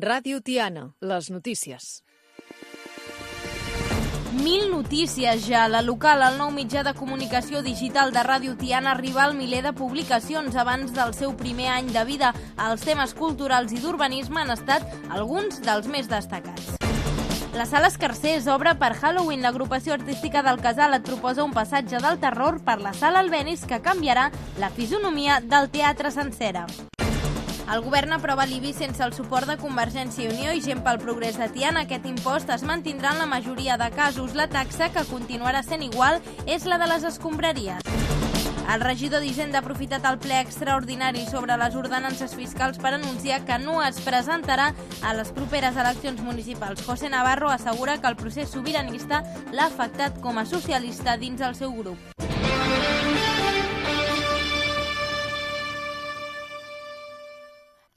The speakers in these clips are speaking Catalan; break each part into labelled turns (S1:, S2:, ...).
S1: Ràdio Tiana, les notícies.
S2: 1.000 notícies ja. La local, el nou mitjà de comunicació digital de Ràdio Tiana, arriba al miler de publicacions abans del seu primer any de vida. Els temes culturals i d'urbanisme han estat alguns dels més destacats. La Sala Escarcers obre per Halloween. L'agrupació artística del Casal et proposa un passatge del terror per la Sala Albéniz que canviarà la fisonomia del teatre sencera. El govern aprova l'IBI sense el suport de Convergència i Unió i Gent pel Progrés de Tiana. Aquest impost es mantindrà en la majoria de casos. La taxa, que continuarà sent igual, és la de les escombraries. El regidor d'Hisenda ha aprofitat el ple extraordinari sobre les ordenances fiscals per anunciar que no es presentarà a les properes eleccions municipals. José Navarro assegura que el procés sobiranista l'ha afectat com a socialista dins el seu grup.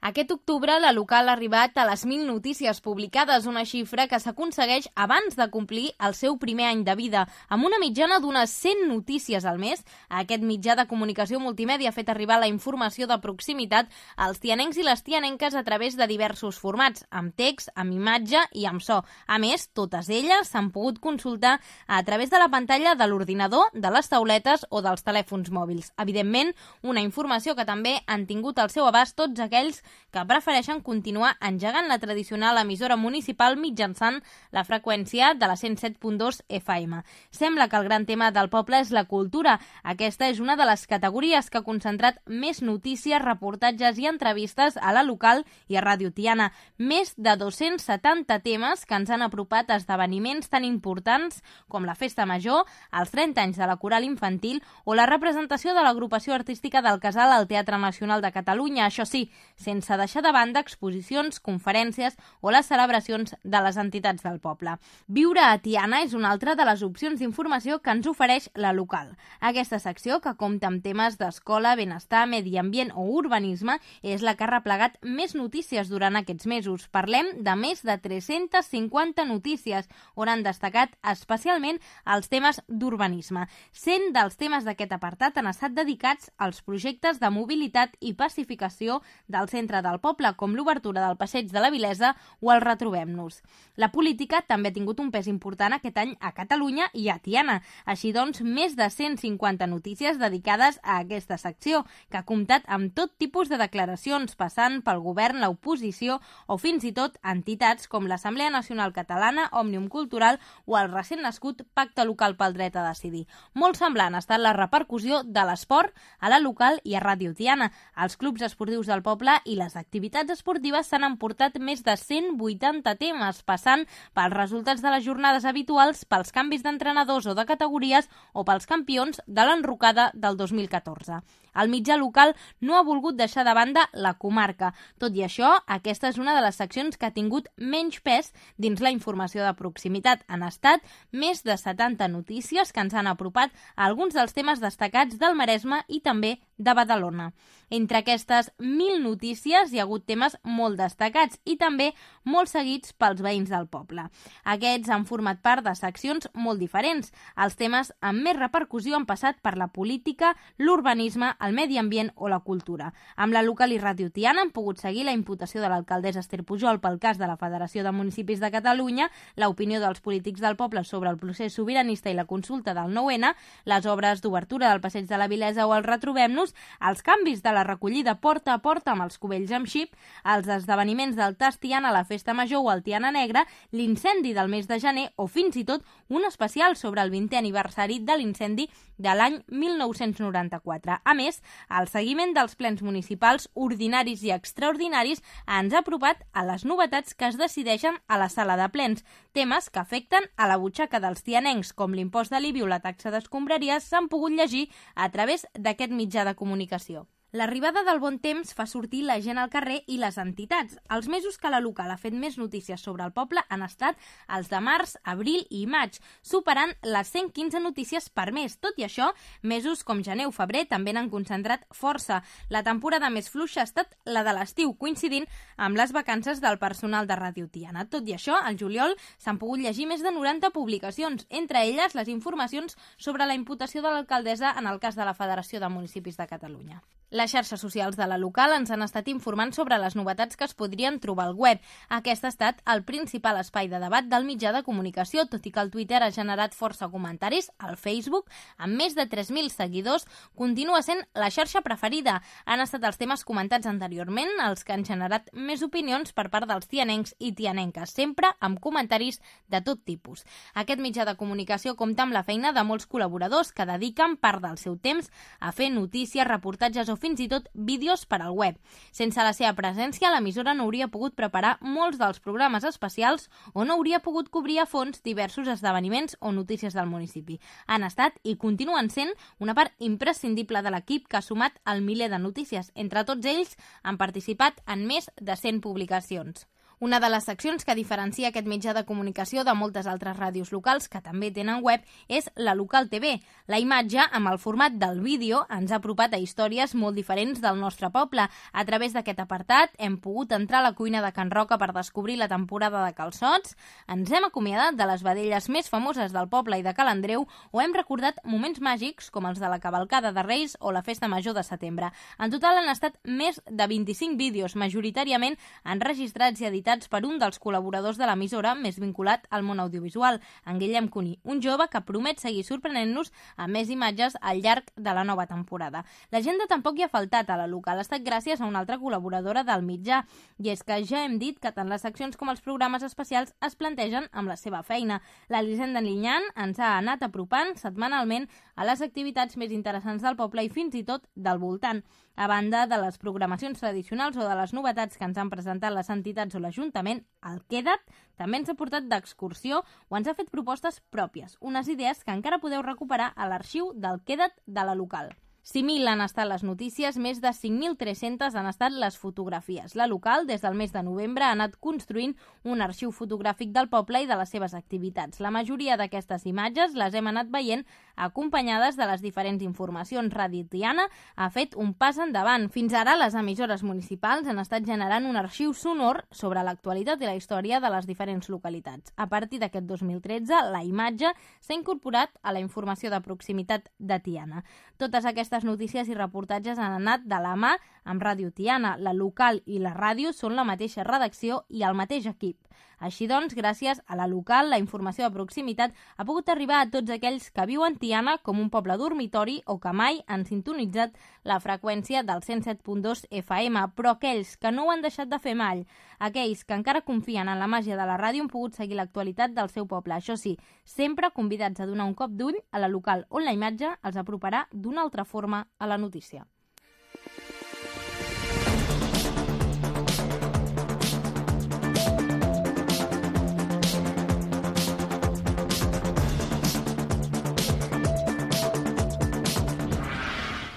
S2: Aquest octubre, la local ha arribat a les 1.000 notícies publicades, una xifra que s'aconsegueix abans de complir el seu primer any de vida. Amb una mitjana d'unes 100 notícies al mes, aquest mitjà de comunicació multimèdia ha fet arribar la informació de proximitat als tianencs i les tianenques a través de diversos formats, amb text, amb imatge i amb so. A més, totes elles s'han pogut consultar a través de la pantalla de l'ordinador, de les tauletes o dels telèfons mòbils. Evidentment, una informació que també han tingut al seu abast tots aquells que prefereixen continuar engegant la tradicional emissora municipal mitjançant la freqüència de la 107.2 FM. Sembla que el gran tema del poble és la cultura. Aquesta és una de les categories que ha concentrat més notícies, reportatges i entrevistes a la local i a Ràdio Tiana. Més de 270 temes que ens han apropat a esdeveniments tan importants com la Festa Major, els 30 anys de la Coral Infantil o la representació de l'agrupació artística del Casal al Teatre Nacional de Catalunya. Això sí, sense deixar de banda exposicions, conferències o les celebracions de les entitats del poble. Viure a Tiana és una altra de les opcions d'informació que ens ofereix la local. Aquesta secció, que compta amb temes d'escola, benestar, medi ambient o urbanisme, és la que ha replegat més notícies durant aquests mesos. Parlem de més de 350 notícies, on han destacat especialment els temes d'urbanisme. 100 dels temes d'aquest apartat han estat dedicats als projectes de mobilitat i pacificació del centre del poble, com l'obertura del Passeig de la Vilesa o el Retrobem-nos. La política també ha tingut un pes important aquest any a Catalunya i a Tiana. Així doncs, més de 150 notícies dedicades a aquesta secció, que ha comptat amb tot tipus de declaracions, passant pel govern, l'oposició o fins i tot entitats com l'Assemblea Nacional Catalana, Òmnium Cultural o el recent nascut Pacte Local pel Dret a Decidir. Molt semblant ha estat la repercussió de l'esport a la local i a Ràdio Tiana. Els clubs esportius del poble i les activitats esportives s'han emportat més de 180 temes, passant pels resultats de les jornades habituals, pels canvis d'entrenadors o de categories o pels campions de l'enrocada del 2014. El mitjà local no ha volgut deixar de banda la comarca. Tot i això, aquesta és una de les seccions que ha tingut menys pes dins la informació de proximitat. Han estat més de 70 notícies que ens han apropat a alguns dels temes destacats del Maresme i també de Badalona. Entre aquestes 1.000 notícies hi ha hagut temes molt destacats i també molt seguits pels veïns del poble. Aquests han format part de seccions molt diferents. Els temes amb més repercussió han passat per la política, l'urbanisme, el medi ambient o la cultura. Amb la local i Ràdio Tiana han pogut seguir la imputació de l'alcaldessa Esther Pujol pel cas de la Federació de Municipis de Catalunya, l'opinió dels polítics del poble sobre el procés sobiranista i la consulta del 9-N, les obres d'obertura del Passeig de la Vilesa o el Retrobem-nos, els canvis de la recollida porta a porta amb els cubells amb xip, els esdeveniments del Tas Tiana, la Festa Major o el Tiana Negra, l'incendi del mes de gener o fins i tot un especial sobre el 20è aniversari de l'incendi de l'any 1994. A més, el seguiment dels plens municipals ordinaris i extraordinaris ens ha apropat a les novetats que es decideixen a la sala de plens, temes que afecten a la butxaca dels tianencs, com l'impost de l'IBI o la taxa d'escombraries, s'han pogut llegir a través d'aquest mitjà de comunicació. L'arribada del bon temps fa sortir la gent al carrer i les entitats. Els mesos que la local ha fet més notícies sobre el poble han estat els de març, abril i maig, superant les 115 notícies per mes. Tot i això, mesos com gener o febrer també n'han concentrat força. La temporada més fluixa ha estat la de l'estiu, coincidint amb les vacances del personal de Ràdio Tiana. Tot i això, al juliol s'han pogut llegir més de 90 publicacions, entre elles les informacions sobre la imputació de l'alcaldessa en el cas de la Federació de Municipis de Catalunya. Les xarxes socials de la local ens han estat informant sobre les novetats que es podrien trobar al web. Aquest ha estat el principal espai de debat del mitjà de comunicació, tot i que el Twitter ha generat força comentaris. El Facebook, amb més de 3.000 seguidors, continua sent la xarxa preferida. Han estat els temes comentats anteriorment els que han generat més opinions per part dels tianencs i tianenques, sempre amb comentaris de tot tipus. Aquest mitjà de comunicació compta amb la feina de molts col·laboradors que dediquen part del seu temps a fer notícies, reportatges o fins i tot vídeos per al web. Sense la seva presència, l'emissora no hauria pogut preparar molts dels programes especials o no hauria pogut cobrir a fons diversos esdeveniments o notícies del municipi. Han estat i continuen sent una part imprescindible de l'equip que ha sumat el miler de notícies. Entre tots ells han participat en més de 100 publicacions. Una de les seccions que diferencia aquest mitjà de comunicació de moltes altres ràdios locals que també tenen web és la Local TV. La imatge, amb el format del vídeo, ens ha apropat a històries molt diferents del nostre poble. A través d'aquest apartat hem pogut entrar a la cuina de Can Roca per descobrir la temporada de calçots, ens hem acomiadat de les vedelles més famoses del poble i de Cal Andreu o hem recordat moments màgics com els de la cavalcada de Reis o la festa major de setembre. En total han estat més de 25 vídeos, majoritàriament enregistrats i editats per un dels col·laboradors de l'emissora més vinculat al món audiovisual, en Guillem Cuní, un jove que promet seguir sorprenent-nos amb més imatges al llarg de la nova temporada. L'agenda tampoc hi ha faltat a la local, ha estat gràcies a una altra col·laboradora del mitjà, i és que ja hem dit que tant les seccions com els programes especials es plantegen amb la seva feina. L'Elisenda Linyan ens ha anat apropant setmanalment a les activitats més interessants del poble i fins i tot del voltant. A banda de les programacions tradicionals o de les novetats que ens han presentat les entitats o l'Ajuntament, el Queda't també ens ha portat d'excursió o ens ha fet propostes pròpies, unes idees que encara podeu recuperar a l'arxiu del Queda't de la local. 5.000 han estat les notícies, més de 5.300 han estat les fotografies. La local, des del mes de novembre, ha anat construint un arxiu fotogràfic del poble i de les seves activitats. La majoria d'aquestes imatges les hem anat veient acompanyades de les diferents informacions. Ràdio Tiana ha fet un pas endavant. Fins ara, les emissores municipals han estat generant un arxiu sonor sobre l'actualitat i la història de les diferents localitats. A partir d'aquest 2013, la imatge s'ha incorporat a la informació de proximitat de Tiana. Totes aquestes notícies i reportatges han anat de la mà amb Ràdio Tiana. La local i la ràdio són la mateixa redacció i el mateix equip. Així doncs, gràcies a la local, la informació de proximitat ha pogut arribar a tots aquells que viuen Tiana com un poble dormitori o que mai han sintonitzat la freqüència del 107.2 FM, però aquells que no ho han deixat de fer mai, aquells que encara confien en la màgia de la ràdio han pogut seguir l'actualitat del seu poble. Això sí, sempre convidats a donar un cop d'ull a la local on la imatge els aproparà d'una altra forma a la notícia.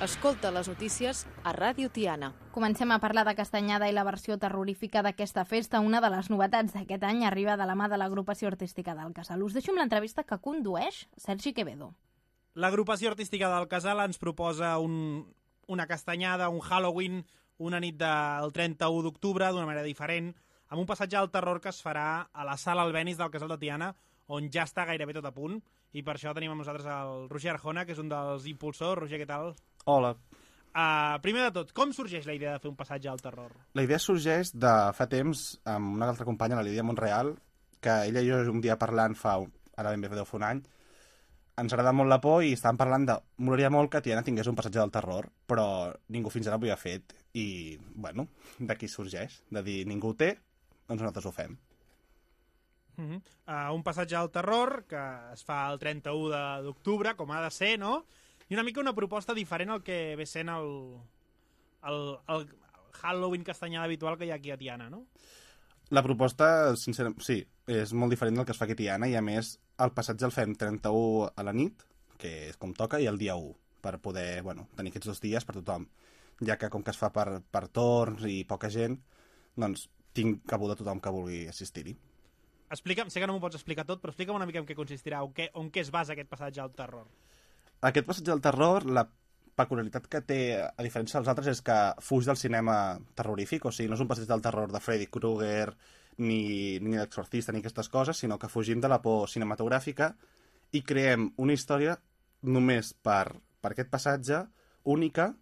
S1: Escolta les notícies a Ràdio Tiana.
S2: Comencem a parlar de Castanyada i la versió terrorífica d'aquesta festa. Una de les novetats d'aquest any arriba de la mà de l'agrupació artística del Casal. Us deixo amb l'entrevista que condueix Sergi Quevedo.
S3: L'agrupació artística del Casal ens proposa una castanyada, un Halloween, una nit del 31 d'octubre d'una manera diferent, amb un passatge al terror que es farà a la sala Albéniz del Casal de Tiana, on ja està gairebé tot a punt, i per això tenim amb nosaltres el Roger Arjona, que és un dels impulsors. Roger, què tal?
S4: Hola.
S3: Primer de tot, com sorgeix la idea de fer un passatge al terror?
S4: La idea sorgeix de fa temps amb una altra companya, la Lídia Monreal, que ella i jo un dia parlant ara ben bé deu fer un any, ens agrada molt la por i estàvem parlant de... Molaria molt que Tiana tingués un passatge del terror, però ningú fins ara ho havia fet. I, bueno, d'aquí sorgeix, de dir ningú ho té, doncs nosaltres ho fem.
S3: Un passatge al terror que es fa el 31 d'octubre, com ha de ser, no? I una mica una proposta diferent al que ve sent el Halloween castanyada habitual que hi ha aquí a Tiana, no?
S4: La proposta, sincerament, sí, és molt diferent del que es fa aquí a Tiana, i a més el passatge el fem 31 a la nit, que és com toca, i el dia 1, per poder, tenir aquests 2 dies per tothom. Ja que com que es fa per torns i poca gent, doncs tinc cabuda tothom que vulgui assistir-hi.
S3: Explica'm, sé que no m'ho pots explicar tot, però explica'm una mica en què consistirà, on què es basa aquest passatge al terror.
S4: Aquest passatge al terror, la peculiaritat que té, a diferència dels altres, és que fuig del cinema terrorífic, o sigui, no és un passeig del terror de Freddy Krueger, ni d'Exorcista, ni aquestes coses, sinó que fugim de la por cinematogràfica i creem una història només per aquest passatge, única,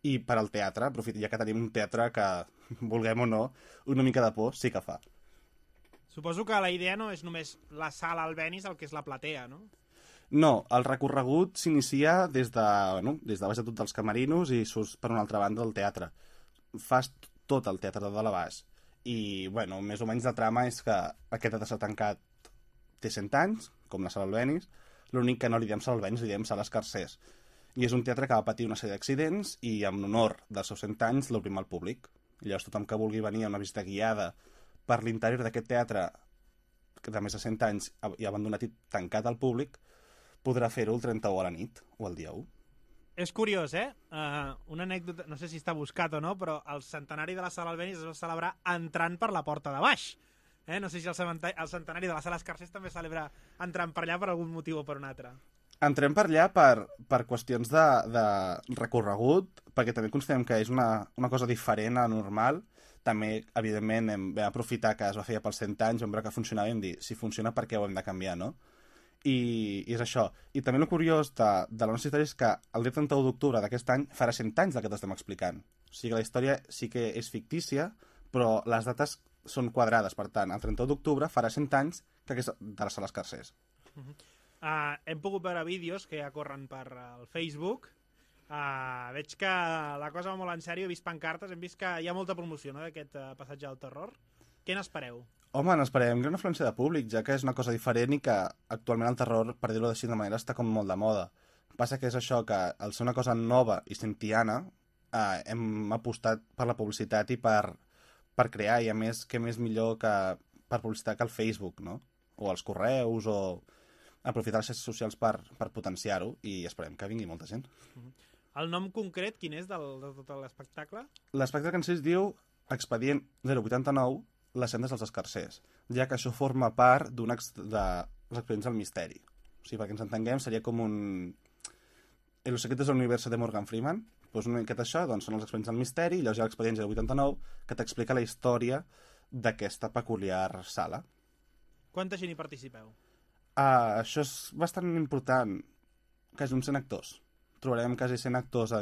S4: I per al teatre, ja que tenim un teatre que, vulguem o no, una mica de por sí que fa.
S3: Suposo que la idea no és només la sala Albéniz, el que és la platea, no?
S4: No, el recorregut s'inicia des de baix de tot dels camerinos i surts per una altra banda del teatre. Fas tot el teatre de dalt a baix. I, bueno, més o menys la trama és que aquest teatre s'ha tancat té 100 anys, com la sala Albéniz. L'únic que no li diem sala Albéniz, li diem sala Escarcers. I és un teatre que va patir una sèrie d'accidents i, en honor dels seus 100 anys, l'obrim al públic. I llavors tothom que vulgui venir a una visita guiada per l'interior d'aquest teatre, que de més de 100 anys i abandonat i tancat al públic, podrà fer-ho el 31 a la nit o el dia 1.
S3: És curiós, eh? Una anècdota, no sé si està buscat o no, però el centenari de la sala Albéniz es va celebrar entrant per la porta de baix. No sé si el centenari de la sala Escarcers també celebra entrant per allà per algun motiu o per un altre.
S4: Entrem per allà per qüestions de recorregut, perquè també considerem que és una cosa diferent a normal. També, evidentment, vam aprofitar que es va fer pels 100 anys, vam veure que funcionava i vam dir, si funciona, per què ho hem de canviar, no? I és això. I també el curiós de la nostra història és que el dia 31 d'octubre d'aquest any farà 100 anys del que t'estem explicant. O sigui que la història sí que és fictícia, però les dates són quadrades. Per tant, el 31 d'octubre farà 100 anys que és de la sala Escarcers.
S3: Hem pogut veure vídeos que ja corren per el Facebook. Veig que la cosa va molt en sèrio, he vist pancartes, hem vist que hi ha molta promoció, no?, d'aquest passatge del terror. Què n'espereu?
S4: Home, n'esperem gran afluència de públic, ja que és una cosa diferent i que actualment el terror, per dir-ho així de manera, està com molt de moda. Passa que és això, que al ser una cosa nova i cintiana, hem apostat per la publicitat i per crear, i a més, què més millor que per publicitat que el Facebook, no? O els correus, o aprofitar les xarxes socials per potenciar-ho, i esperem que vingui molta gent.
S3: El nom concret, quin és de tot l'espectacle?
S4: L'espectacle en si es diu Expedient 089, les sendes dels Escarcers, ja que això forma part dels expedients del misteri. O sigui, perquè ens entenguem, seria com un... Los secretos del universo de Morgan Freeman. Doncs una miqueta això, doncs, són els expedients del misteri, i llavors hi ha l'expedient 089, que t'explica la història d'aquesta peculiar sala.
S3: Quanta gent hi participeu?
S4: Això és bastant important, quasi uns 100 actors. Trobarem quasi 100 actors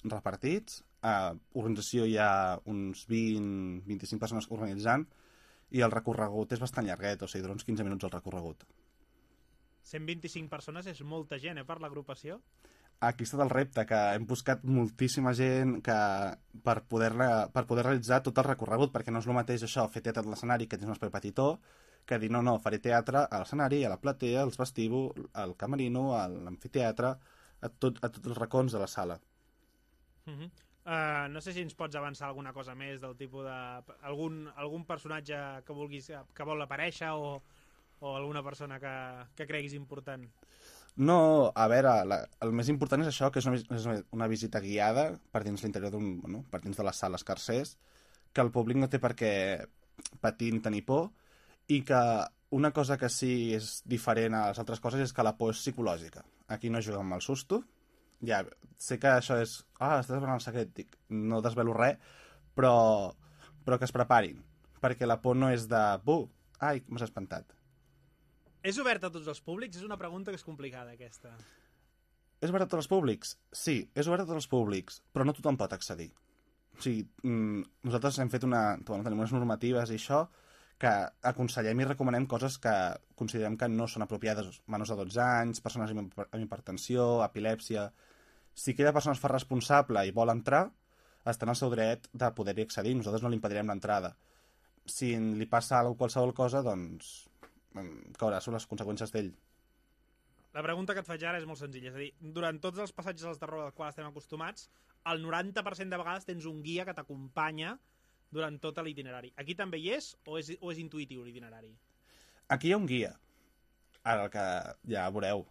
S4: repartits. A organització hi ha uns 20-25 persones organitzant, i el recorregut és bastant llarguet, o sigui, dura uns 15 minuts el recorregut.
S3: 125 persones és molta gent, per l'agrupació?
S4: Aquí està el repte, que hem buscat moltíssima gent per poder realitzar tot el recorregut, perquè no és el mateix això, fer teatre a l'escenari, que tens un espai petitó, que dir, no, faré teatre a l'escenari, a la platea, als vestíbuls, al camerino, a l'amfiteatre, a tots els racons de la sala.
S3: No sé si ens pots avançar alguna cosa més del tipus de... algun personatge que vulguis, que vol aparèixer, o alguna persona que creguis important?
S4: No, a veure, el més important és això, que és una visita guiada per dins l'interior per dins de les sales Escarcers, que el públic no té per què patir ni tenir por, i que una cosa que sí és diferent a les altres coses és que la por és psicològica. Aquí no juguem amb el susto. Ja, sé que això és... estàs desvelant el secret, dic, no desvelo res, però que es preparin, perquè la por no és de... Ai, m'has espantat.
S3: És obert a tots els públics? És una pregunta que és complicada, aquesta.
S4: És obert a tots els públics? Sí, és obert a tots els públics, però no tothom pot accedir. O sigui, nosaltres hem fet tenim unes normatives i això, que aconsellem i recomanem coses que considerem que no són apropiades. Menors de 12 anys, persones amb hipertensió, epilèpsia... Si aquella persona es fa responsable i vol entrar, està en el seu dret de poder-hi accedir. Nosaltres no li impedirem l'entrada. Si li passa qualsevol cosa, doncs caurà sobre les conseqüències d'ell.
S3: La pregunta que et faig ara és molt senzilla. És a dir, durant tots els passatges del terror als quals estem acostumats, el 90% de vegades tens un guia que t'acompanya durant tot l'itinerari. Aquí també hi és o és intuïtiu l'itinerari?
S4: Aquí hi ha un guia. Ara el que ja veureu.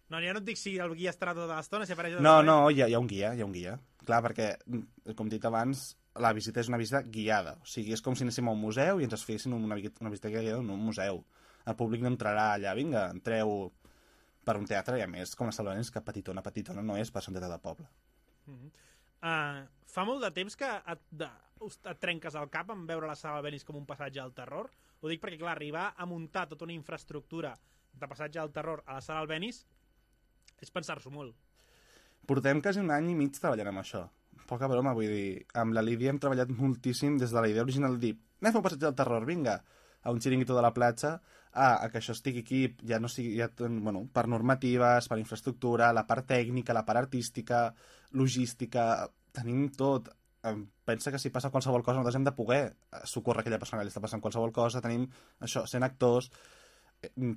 S3: No, ja no et dic si el guia estarà tota l'estona, si apareix...
S4: No, hi ha un guia. Clar, perquè, com he dit abans, la visita és una visita guiada. O sigui, és com si anéssim a un museu i ens fessin una visita guiada en un museu. El públic no entrarà allà, vinga, entreu per un teatre, i a més, com a Sala Albéniz, que petitona no és per ser un teatre de poble.
S3: Fa molt de temps que et trenques el cap en veure la Sala Albéniz com un passatge al terror? Ho dic perquè, clar, arribar a muntar tota una infraestructura de passatge al terror a la Sala Albéniz és pensar-s'ho molt.
S4: Portem quasi un any i mig treballant amb això. poca broma, vull dir, amb la Lídia hem treballat moltíssim des de la idea original de dir, anem a fer un passeig del terror, vinga, a un xiringuito de la platja, a que això estigui aquí, ja no sigui, per normatives, per infraestructura, la part tècnica, la part artística, logística, tenim tot. Pensa que si passa qualsevol cosa nosaltres hem de poder socórrer aquella persona que li està passant qualsevol cosa, tenim això, 100 actors.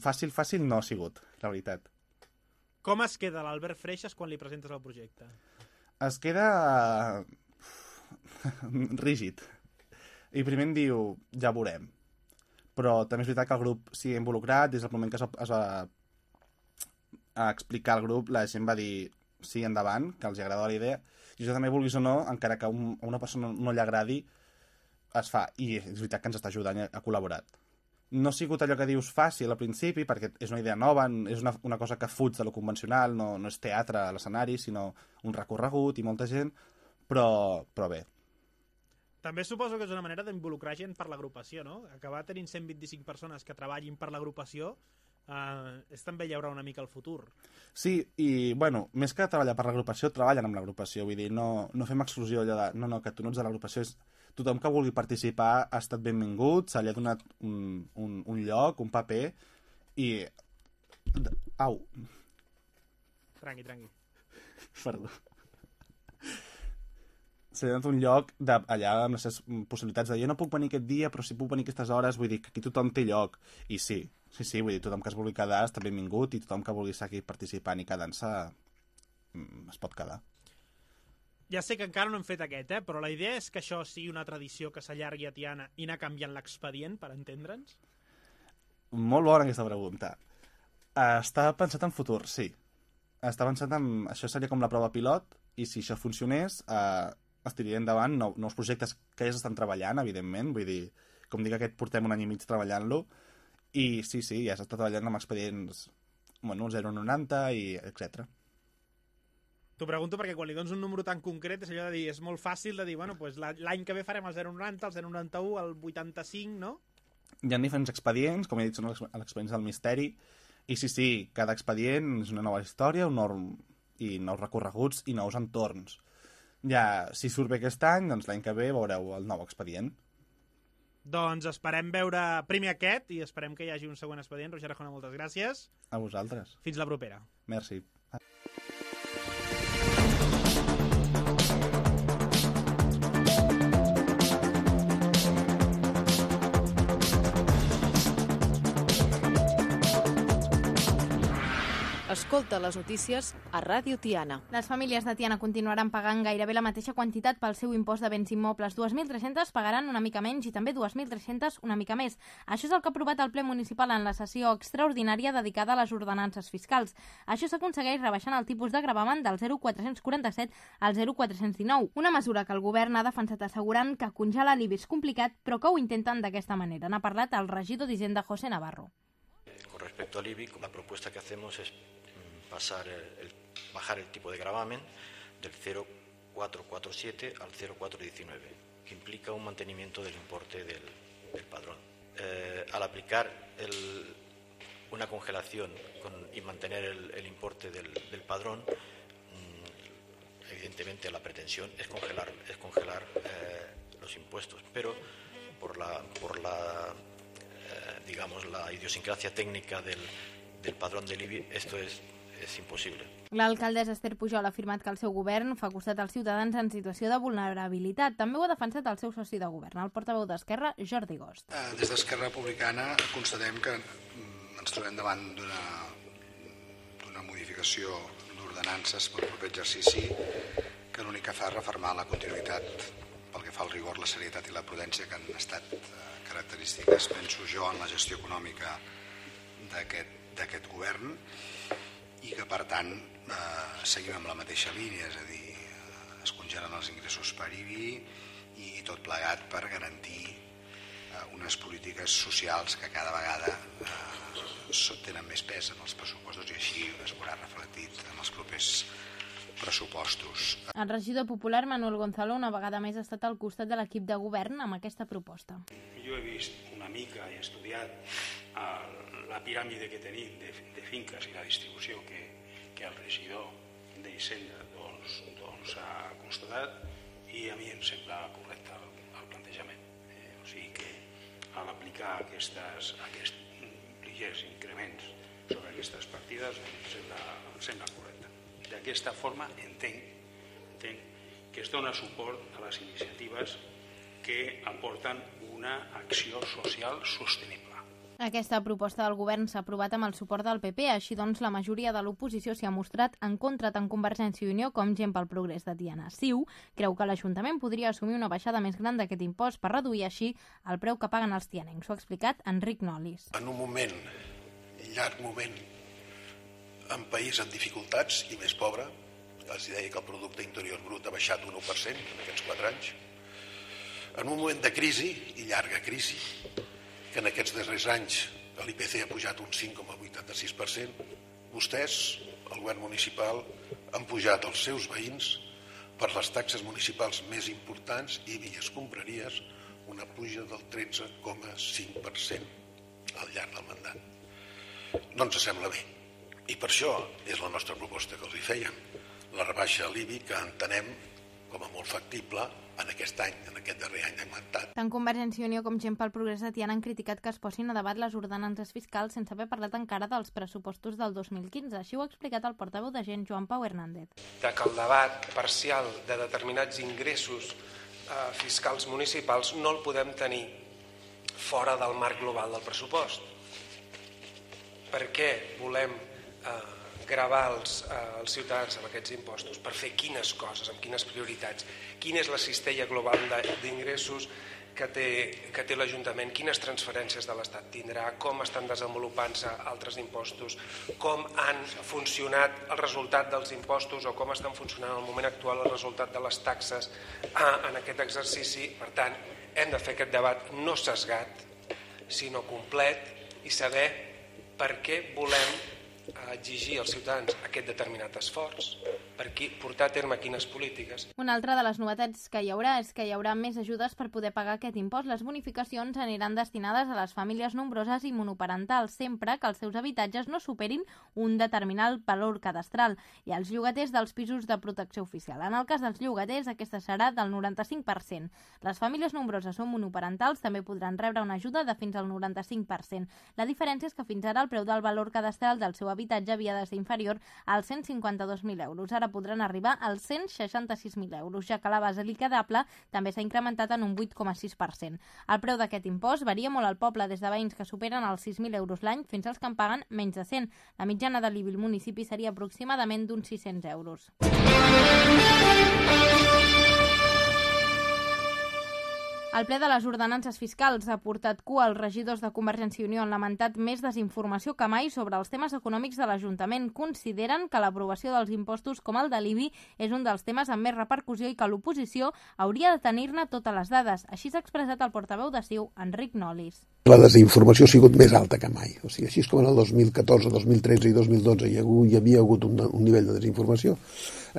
S4: Fàcil no ha sigut, la veritat.
S3: Com es queda l'Albert Freixas quan li presentes el projecte?
S4: Es queda rígid. I primer em diu, ja veurem. Però també és veritat que el grup s'hi ha involucrat, des del moment que es va explicar al grup, la gent va dir sí, endavant, que els agradava la idea, i això també, vulguis o no, encara que a una persona no li agradi, es fa, i és veritat que ens està ajudant, ha col·laborat. No ha sigut allò que dius fàcil al principi, perquè és una idea nova, és una cosa que fuig de lo convencional, no és teatre a l'escenari, sinó un recorregut i molta gent, però bé.
S3: També suposo que és una manera d'involucrar gent per l'agrupació, no? Acabar tenint 125 persones que treballin per l'agrupació és també llaurar una mica el futur.
S4: Sí, i, més que treballar per l'agrupació, treballen amb l'agrupació. Vull dir, no fem exclusió allò de, no, que tu no ets de l'agrupació. Tothom que vulgui participar ha estat benvingut, se li ha donat un lloc, un paper, i... Au.
S3: Tranqui.
S4: Perdó. Se li ha donat un lloc allà amb les seves possibilitats de jo no puc venir aquest dia, però sí puc venir aquestes hores, vull dir que aquí tothom té lloc. I sí, vull dir, tothom que es vulgui quedar està benvingut i tothom que vulgui seguir participant i quedant-se es pot quedar.
S3: Ja sé que encara no hem fet aquest, però la idea és que això sigui una tradició que s'allargui a Tiana i anar canviant l'expedient, per entendre'ns?
S4: Molt bona aquesta pregunta. Està pensat en futur, sí. Està pensat en... Això seria com la prova pilot, i si això funcionés, es tiraria endavant nous projectes que ja s'estan treballant, evidentment. Vull dir, com dic, aquest portem un any i mig treballant-lo, i sí, ja s'està treballant amb expedients 0,90 i etc.
S3: T'ho pregunto perquè quan li dones un número tan concret és allò de dir, és molt fàcil de dir, l'any que ve farem el 0,90, el 0,91, el 85, no?
S4: Hi ha diferents expedients, com he dit, són els expedients del misteri, i sí, cada expedient és una nova història, i nous recorreguts i nous entorns. Ja, si surt bé aquest any, doncs l'any que ve veureu el nou expedient.
S3: Doncs esperem veure primer aquest i esperem que hi hagi un següent expedient. Roger Arjona, moltes gràcies.
S4: A vosaltres.
S3: Fins la propera.
S4: Merci.
S1: Escolta les notícies a Ràdio Tiana.
S2: Les famílies de Tiana continuaran pagant gairebé la mateixa quantitat pel seu impost de béns immobles. 2.300 pagaran una mica menys i també 2.300 una mica més. Això és el que ha aprovat el ple municipal en la sessió extraordinària dedicada a les ordenances fiscals. Això s'aconsegueix rebaixant el tipus de gravamen del 0,447 al 0,419, una mesura que el govern ha defensat assegurant que congela l'IBI és complicat, però que ho intenten d'aquesta manera. N'ha parlat el regidor d'Hisenda, José Navarro.
S5: Con respecto al IBI, la propuesta que hacemos es bajar el tipo de gravamen del 0,447 al 0,419, que implica un mantenimiento del importe del padrón. Al aplicar una congelación y mantener el importe del padrón, evidentemente la pretensión es congelar los impuestos, pero por la idiosincrasia técnica del padrón del IBI, esto és impossible.
S2: L'alcaldessa Esther Pujol ha afirmat que el seu govern fa costat als ciutadans en situació de vulnerabilitat. També ho ha defensat el seu soci de govern, el portaveu d'Esquerra, Jordi Gost.
S6: Des d'Esquerra Republicana constatem que ens trobem davant d'una modificació d'ordenances pel proper exercici que l'únic que fa és refermar la continuïtat pel que fa al rigor, la serietat i la prudència que han estat característiques, penso jo, en la gestió econòmica d'aquest govern, i que, per tant, seguim amb la mateixa línia, és a dir, es congelen els ingressos per IBI i tot plegat per garantir unes polítiques socials que cada vegada tenen més pes en els pressupostos i així es veurà reflectit en els propers pressupostos.
S2: El regidor popular Manuel Gonzalo una vegada més ha estat al costat de l'equip de govern amb aquesta proposta.
S7: Jo he vist una mica i he estudiat la piràmide que tenim de finques i la distribució que el regidor d'Hisenda ha constatat, i a mi em sembla correcte el plantejament. O sigui que a l'aplicar aquests ligers increments sobre aquestes partides em sembla correcte. D'aquesta forma entenc que es dona suport a les iniciatives que aporten una acció social sostenible.
S2: Aquesta proposta del govern s'ha aprovat amb el suport del PP, així doncs la majoria de l'oposició s'hi ha mostrat en contra tant Convergència i Unió com Gent pel Progrés de Tiana. CiU creu que l'Ajuntament podria assumir una baixada més gran d'aquest impost per reduir així el preu que paguen els tianencs. Ho ha explicat Enric Nolis.
S8: En un llarg moment, en país en dificultats i més pobre, els deia que el producte interior brut ha baixat un 1% en aquests 4 anys, en un moment de crisi i llarga crisi, que en aquests darrers anys l'IPC ha pujat un 5,86%, vostès, el govern municipal, han pujat als seus veïns per les taxes municipals més importants i vies compraries una puja del 13,5% al llarg del mandat. No ens sembla bé. I per això és la nostra proposta que els hi fèiem, la rebaixa a l'IBI, que entenem com a molt factible en aquest darrer any de mandat.
S2: Tant Convergència i Unió com Gent pel Progrés de Tiana han criticat que es posin a debat les ordenances fiscals sense haver parlat encara dels pressupostos del 2015. Així ho ha explicat el portaveu de Gent, Joan Pau Hernández.
S9: Que el debat parcial de determinats ingressos fiscals municipals no el podem tenir fora del marc global del pressupost. Per què volem gravar els ciutadans amb aquests impostos? Per fer quines coses, amb quines prioritats? Quina és la cistella global d'ingressos que té l'Ajuntament? Quines transferències de l'Estat tindrà? Com estan desenvolupant-se altres impostos? Com han funcionat el resultat dels impostos o com estan funcionant en el moment actual el resultat de les taxes en aquest exercici? Per tant, hem de fer aquest debat no sesgat, sinó complet i saber per què volem exigir als ciutadans aquest determinat esforç, per portar a terme quines polítiques.
S2: Una altra de les novetats que hi haurà és que hi haurà més ajudes per poder pagar aquest impost. Les bonificacions aniran destinades a les famílies nombroses i monoparentals, sempre que els seus habitatges no superin un determinat valor cadastral, i als llogaters dels pisos de protecció oficial. En el cas dels llogaters, aquesta serà del 95%. Les famílies nombroses o monoparentals també podran rebre una ajuda de fins al 95%. La diferència és que fins ara el preu del valor cadastral del seu habitatge havia de ser inferior als 152.000 euros. Ara podran arribar als 166.000 euros, ja que la base liquidable també s'ha incrementat en un 8,6%. El preu d'aquest impost varia molt al poble, des de veïns que superen els 6.000 euros l'any fins als que en paguen menys de 100. La mitjana de l'IBI al municipi seria aproximadament d'uns 600 euros. El ple de les ordenances fiscals ha portat cua als regidors de Convergència i Unió. Han lamentat més desinformació que mai sobre els temes econòmics de l'Ajuntament. Consideren que l'aprovació dels impostos com el de l'IBI és un dels temes amb més repercussió i que l'oposició hauria de tenir-ne totes les dades. Així s'ha expressat el portaveu de CiU, Enric Nolis.
S10: La desinformació ha sigut més alta que mai. O sigui, així com en el 2014, 2013 i 2012 hi havia hagut un nivell de desinformació,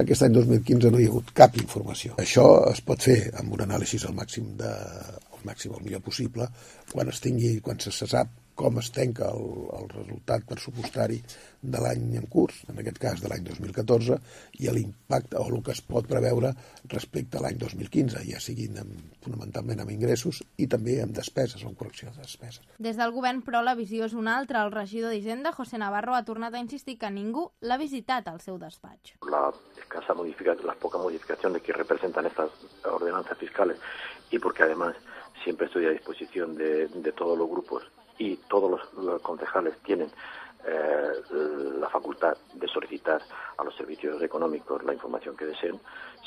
S10: aquest any 2015 no hi ha hagut cap informació. Això es pot fer amb un anàlisi al màxim el millor possible, quan se sap com es tanca el resultat pressupostari de l'any en curs, en aquest cas de l'any 2014, i l'impacte o el que es pot preveure respecte a l'any 2015, ja siguin fonamentalment amb ingressos i també amb despeses, amb correcció de despeses.
S2: Des del govern, però, la visió és una altra. El regidor d'Hisenda, José Navarro, ha tornat a insistir que ningú l'ha visitat al seu despatx.
S11: Las pocas modificaciones que representan estas ordenanzas fiscales y porque además siempre estoy a disposición de todos los grupos y todos los concejales tienen la facultad de solicitar a los servicios económicos la información que deseen.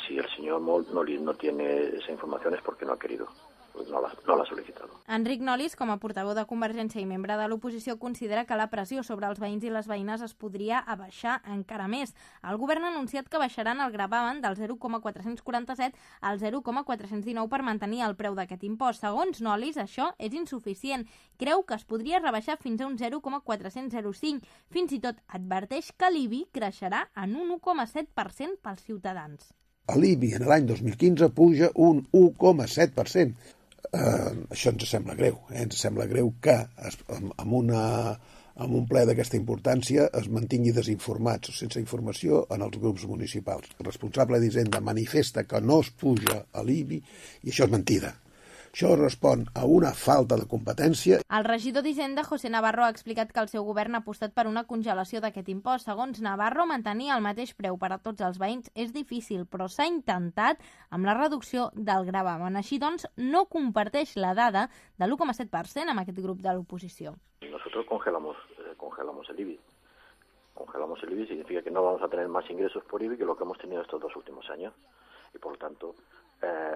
S11: Si el señor Nolis no tiene esa información es porque no ha querido. No l'ha sol·licitat.
S2: Enric Nolis, com a portaveu de Convergència i membre de l'oposició, considera que la pressió sobre els veïns i les veïnes es podria abaixar encara més. El govern ha anunciat que baixaran el gravamen del 0,447 al 0,419 per mantenir el preu d'aquest impost. Segons Nolis, això és insuficient. Creu que es podria rebaixar fins a un 0,405. Fins i tot adverteix que l'IBI creixerà en un 1,7% pels ciutadans.
S10: L'IBI en l'any 2015 puja un 1,7%. Això ens sembla greu. Ens sembla greu que amb en un ple d'aquesta importància es mantingui desinformats o sense informació en els grups municipals. El responsable d'Hisenda manifesta que no es puja a l'IBI i això és mentida. Això respon a una falta de competència.
S2: El regidor d'Hisenda, José Navarro, ha explicat que el seu govern ha apostat per una congelació d'aquest impost. Segons Navarro, mantenir el mateix preu per a tots els veïns és difícil, però s'ha intentat amb la reducció del gravamen. Així doncs, no comparteix la dada de l'1,7% amb aquest grup de l'oposició.
S11: Nosotros congelamos el IBI. Congelamos el IBI significa que no vamos a tener más ingresos por IBI que lo que hemos tenido estos 2 últimos años. Y por lo tanto,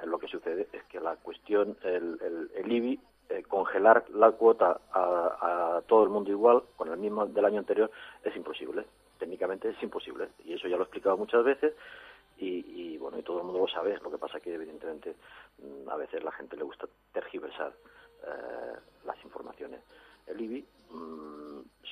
S11: lo que sucede es que la cuestión, el IBI, congelar la cuota a todo el mundo igual, con el mismo del año anterior, es imposible. Técnicamente es imposible. Y eso ya lo he explicado muchas veces y bueno, y todo el mundo lo sabe. Lo que pasa es que evidentemente a veces la gente le gusta tergiversar las informaciones. El IBI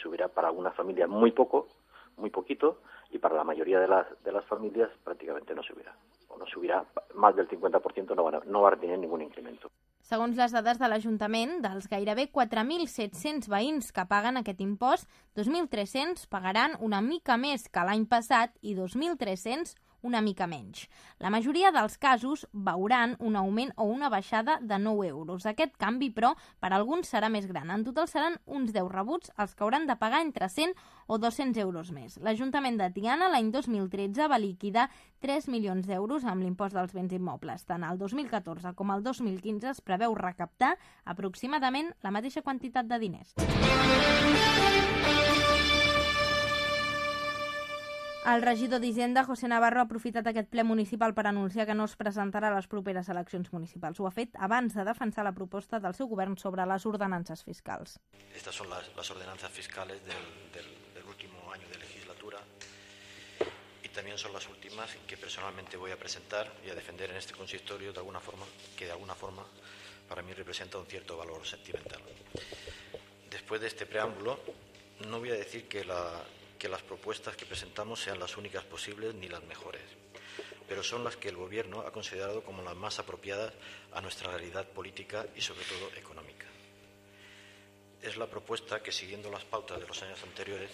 S11: subirá para algunas familias muy poquito, y para la mayoría de las familias prácticamente no subirá. O no subirà més del 50%, no va tenir ningú increment.
S2: Segons les dades de l'Ajuntament, dels gairebé 4.700 veïns que paguen aquest impost, 2.300 pagaran una mica més que l'any passat i 2.300 una mica menys. La majoria dels casos veuran un augment o una baixada de 9 euros. Aquest canvi, però, per a alguns serà més gran. En total seran uns 10 rebuts els que hauran de pagar entre 100 o 200 euros més. L'Ajuntament de Tiana l'any 2013 va liquidar 3 milions d'euros amb l'impost dels béns immobles. Tant el 2014 com el 2015 es preveu recaptar aproximadament la mateixa quantitat de diners. El regidor d'Hisenda, José Navarro, ha aprofitat aquest ple municipal per anunciar que no es presentarà a les properes eleccions municipals. Ho ha fet abans de defensar la proposta del seu govern sobre les ordenances fiscals.
S5: Estas son las ordenanzas fiscales del último año de legislatura y también son las últimas que personalmente voy a presentar y a defender en este consistorio de alguna forma para mí representa un cierto valor sentimental. Después de este preámbulo, no voy a decir que las propuestas que presentamos sean las únicas posibles ni las mejores, pero son las que el Gobierno ha considerado como las más apropiadas a nuestra realidad política y sobre todo económica. Es la propuesta que, siguiendo las pautas de los años anteriores,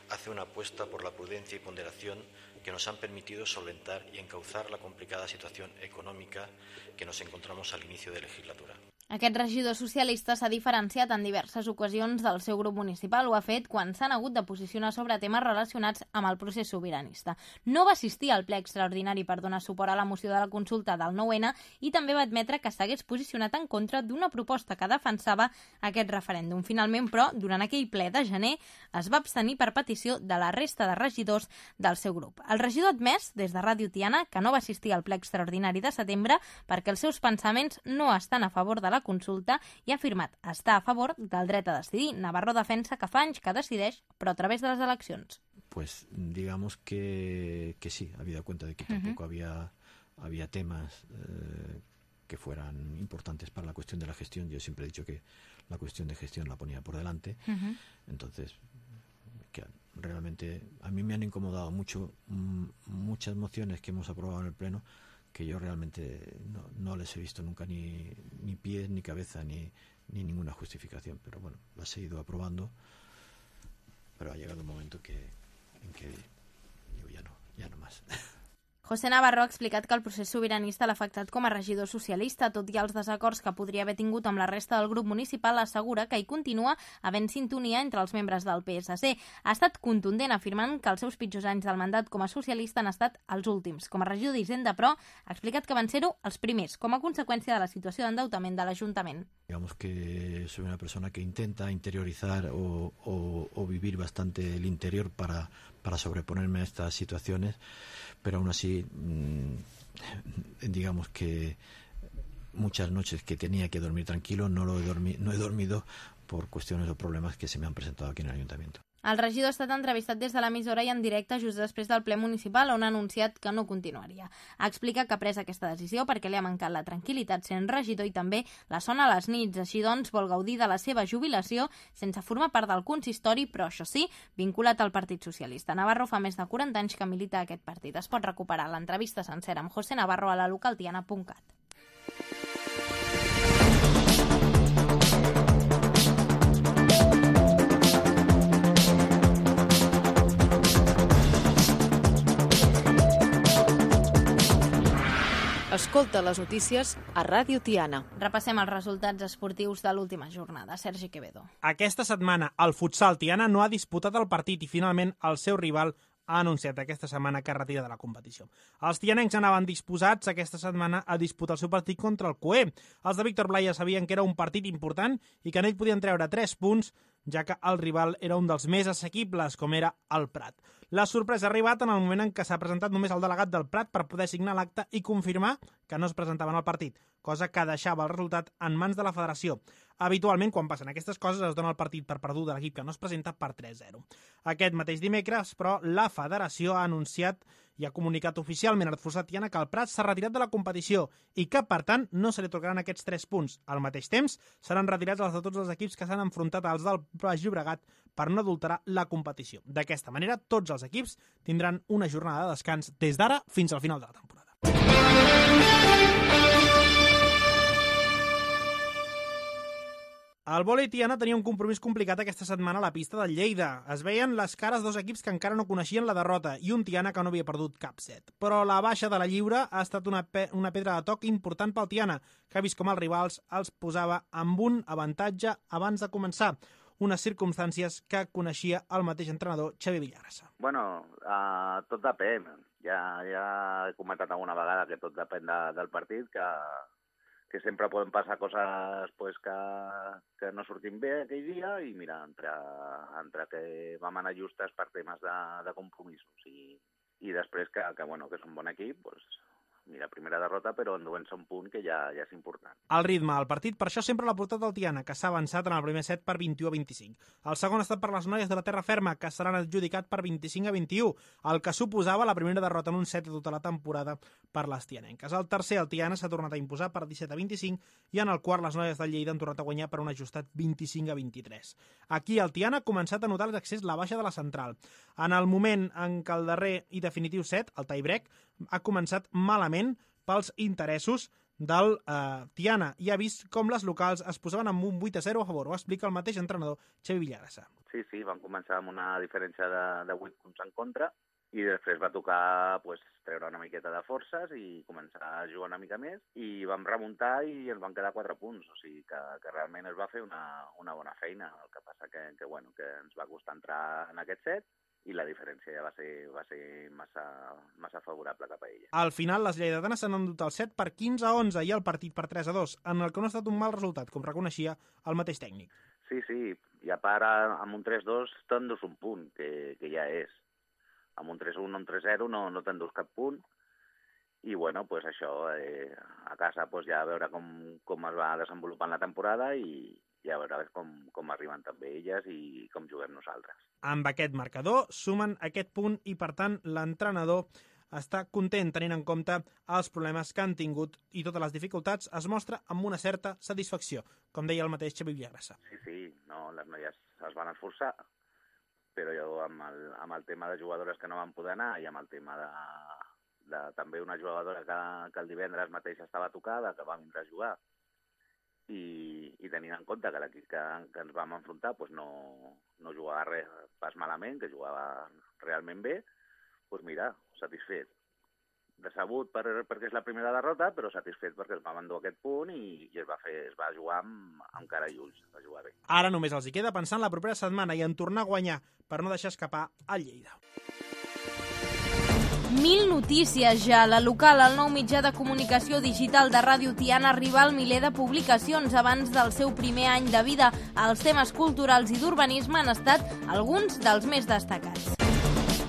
S5: hace una apuesta por la prudencia y ponderación que nos han permitido solventar y encauzar la complicada situación económica que nos encontramos al inicio de legislatura.
S2: Aquest regidor socialista s'ha diferenciat en diverses ocasions del seu grup municipal. Ho ha fet quan s'han hagut de posicionar sobre temes relacionats amb el procés sobiranista. No va assistir al ple extraordinari per donar suport a la moció de la consulta del 9-N i també va admetre que s'hagués posicionat en contra d'una proposta que defensava aquest referèndum. Finalment, però, durant aquell ple de gener es va abstenir per petició de la resta de regidors del seu grup. El regidor ha admès, des de Ràdio Tiana, que no va assistir al ple extraordinari de setembre perquè els seus pensaments no estan a favor de la consulta i ha afirmat estar a favor del dret a decidir. Navarro defensa que fa anys que decideix, però a través de les eleccions.
S12: Pues digamos que sí, habida cuenta de que tampoco había temas que fueran importantes para la cuestión de la gestión. Yo siempre he dicho que la cuestión de gestión la ponía por delante. Entonces, que realmente a mí me han incomodado mucho muchas mociones que hemos aprobado en el Pleno que yo realmente no les he visto nunca ni pies, ni cabeza, ni ninguna justificación. Pero bueno, las he ido aprobando, pero ha llegado un momento en que digo, ya no más.
S2: José Navarro ha explicat que el procés sobiranista l'ha afectat com a regidor socialista. Tot i els desacords que podria haver tingut amb la resta del grup municipal, assegura que hi continua havent sintonia entre els membres del PSC. Ha estat contundent afirmant que els seus pitjors anys del mandat com a socialista han estat els últims. Com a regidor d'Hisenda, però, ha explicat que van ser-ho els primers, com a conseqüència de la situació d'endeutament de l'Ajuntament.
S12: Digamos que soy una persona que intenta interiorizar o vivir bastante el interior para sobreponerme a estas situaciones, pero aún así, digamos que muchas noches que tenía que dormir tranquilo no he dormido por cuestiones o problemas que se me han presentado aquí en el Ayuntamiento.
S2: El regidor ha estat entrevistat des de l'emissora i en directe just després del ple municipal, on ha anunciat que no continuaria. Ha explicat que ha pres aquesta decisió perquè li ha mancat la tranquil·litat sent regidor i també la son a les nits. Així doncs, vol gaudir de la seva jubilació sense formar part del consistori, però això sí, vinculat al Partit Socialista. Navarro fa més de 40 anys que milita a aquest partit. Es pot recuperar l'entrevista sencera amb José Navarro a la localtiana.cat.
S1: Escolta les notícies a Ràdio Tiana.
S2: Repassem els resultats esportius de l'última jornada. Sergi Quevedo.
S3: Aquesta setmana el futsal Tiana no ha disputat el partit i finalment el seu rival ha anunciat aquesta setmana que es retira de la competició. Els tianencs anaven disposats aquesta setmana a disputar el seu partit contra el COE. Els de Víctor Blaya sabien que era un partit important i que en ell podien treure 3 punts, ja que el rival era un dels més assequibles, com era el Prat. La sorpresa ha arribat en el moment en què s'ha presentat només el delegat del Prat per poder signar l'acte i confirmar que no es presentaven al partit, cosa que deixava el resultat en mans de la federació. Habitualment, quan passen aquestes coses, es dona el partit per perdut de l'equip que no es presenta per 3-0. Aquest mateix dimecres, però, la federació ha anunciat i ha comunicat oficialment al Futsal Tiana que el Prat s'ha retirat de la competició i que, per tant, no se li tocaran aquests 3 punts. Al mateix temps, seran retirats els de tots els equips que s'han enfrontat als del Baix Llobregat per no adulterar la competició. D'aquesta manera, tots els equips tindran una jornada de descans des d'ara fins al final de la temporada. El vòlei Tiana tenia un compromís complicat aquesta setmana a la pista del Lleida. Es veien les cares dos equips que encara no coneixien la derrota i un Tiana que no havia perdut cap set. Però la baixa de la lliure ha estat una pedra de toc important pel Tiana, que ha vist com els rivals els posava amb un avantatge abans de començar. Unes circumstàncies que coneixia el mateix entrenador Xavi Villagrasa.
S13: Bueno, tot depèn. Ja he comentat alguna vegada que tot depèn del partit, que sempre poden passar coses pues, que no sortim bé aquell dia i mira, entre que vam anar justes per temes de compromisos i després que és un bon equip, pues, mira, primera derrota, però enduent-se un punt que ja és important.
S3: El ritme del partit, per això sempre l'ha portat el Tiana, que s'ha avançat en el primer set per 21-25. El segon ha estat per les noies de la Terra Ferma, que seran adjudicat per 25-21, el que suposava la primera derrota en un set de tota la temporada per les tianenques. El tercer, el Tiana, s'ha tornat a imposar per 17-25 i en el quart les noies del Lleida han tornat a guanyar per un ajustat 25-23. Aquí el Tiana ha començat a notar l'accés la baixa de la central. En el moment en què el darrer i definitiu set, el tie-break, ha començat malament pels interessos del Tiana i ha vist com les locals es posaven amb un 8-0 a favor. Ho explica el mateix entrenador Xavi Villagrasa.
S13: Sí, van començar amb una diferència de 8 punts en contra i després va tocar treure una miqueta de forces i començar a jugar una mica més i vam remuntar i ens van quedar 4 punts, o sigui que realment es va fer una bona feina. El que passa que ens va costar entrar en aquest set i la diferència ja va ser massa favorable cap a ella.
S3: Al final, les lleidatanes s'han endut el set per 15-11 i el partit per 3-2, en el que no ha estat un mal resultat, com reconeixia el mateix tècnic.
S13: Sí, i a part, amb un 3-2 t'endús un punt, que ja és. Amb un 3-1 o un 3-0 no t'endús cap punt, i això, a casa ja a veure com es va desenvolupant la temporada i a veure com arriben també elles i com juguem nosaltres.
S3: Amb aquest marcador sumen aquest punt i, per tant, l'entrenador està content tenint en compte els problemes que han tingut i totes les dificultats es mostra amb una certa satisfacció, com deia el mateix Xavi Villagrasa.
S13: Sí, les noies es van esforçar, però jo amb el tema de jugadores que no van poder anar i amb el tema de també una jugadora que el divendres mateix estava tocada, que va vindre a jugar, i tenint en compte que l'equip que ens vam enfrontar no jugava pas malament, que jugava realment bé, mira, satisfet. Decebut perquè és la primera derrota, però satisfet perquè es va endur aquest punt i es va jugar amb cara i ulls, va jugar bé.
S3: Ara només els hi queda pensar en la propera setmana i en tornar a guanyar per no deixar escapar el Lleida.
S2: 1000 notícies ja. La local, el nou mitjà de comunicació digital de Ràdio Tiana, arriba al miler de publicacions abans del seu primer any de vida. Els temes culturals i d'urbanisme han estat alguns dels més destacats.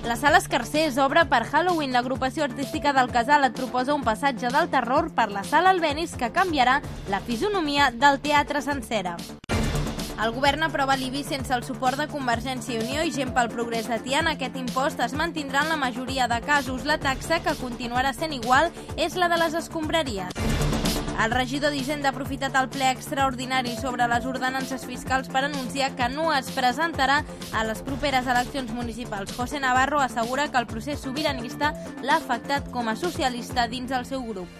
S2: La Sala Escarsers obre per Halloween. L'agrupació artística del Casal et proposa un passatge del terror per la Sala Albéniz que canviarà la fisonomia del teatre sencera. El govern aprova l'IBI sense el suport de Convergència i Unió i Gent pel Progrés de Tiana. Aquest impost es mantindrà en la majoria de casos. La taxa, que continuarà sent igual, és la de les escombraries. El regidor d'Hisenda ha aprofitat el ple extraordinari sobre les ordenances fiscals per anunciar que no es presentarà a les properes eleccions municipals. José Navarro assegura que el procés sobiranista l'ha afectat com a socialista dins el seu grup.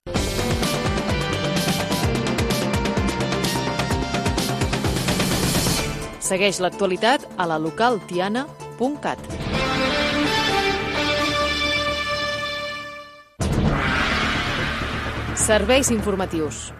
S1: Segueix l'actualitat a la localtiana.cat. Serveis informatius.